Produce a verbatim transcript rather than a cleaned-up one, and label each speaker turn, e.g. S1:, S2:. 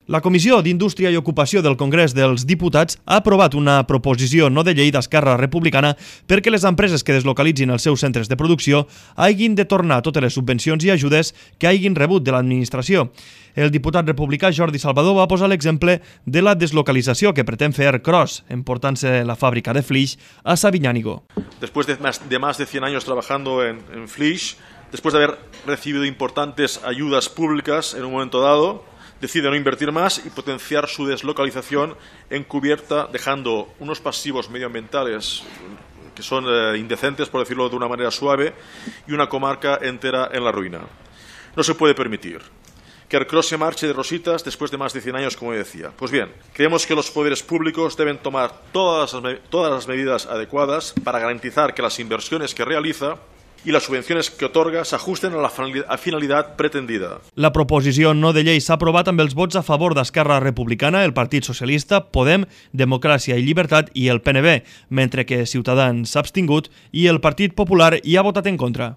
S1: La Comissió d'Indústria i Ocupació del Congrés dels Diputats ha aprovat una proposició no de llei d'Esquerra Republicana perquè les empreses que deslocalitzin els seus centres de producció hagin de tornar totes les subvencions i ajudes que hagin rebut de l'administració. El diputat republicà Jordi Salvador va posar l'exemple de la deslocalització que pretén fer Cros, emportant-se la fàbrica de Flix a Sabiñánigo.
S2: Después de más de, más de cien años trabajando en, en Flix, después de haber recibido importantes ayudas públicas en un momento dado, decide no invertir más y potenciar su deslocalización encubierta, dejando unos pasivos medioambientales que son eh, indecentes, por decirlo de una manera suave, y una comarca entera en la ruina. No se puede permitir que Ercros se marche de rositas después de más de cien años, como decía. Pues bien, creemos que los poderes públicos deben tomar todas las, todas las medidas adecuadas para garantizar que las inversiones que realiza i les subvencions que otorga s'ajusten a la finalitat pretendida.
S1: La proposició no de llei s'ha aprovat amb els vots a favor d'Esquerra Republicana, el Partit Socialista, Podem, Democràcia i Llibertat i el P N B, mentre que Ciutadans s'ha abstingut i el Partit Popular hi ha votat en contra.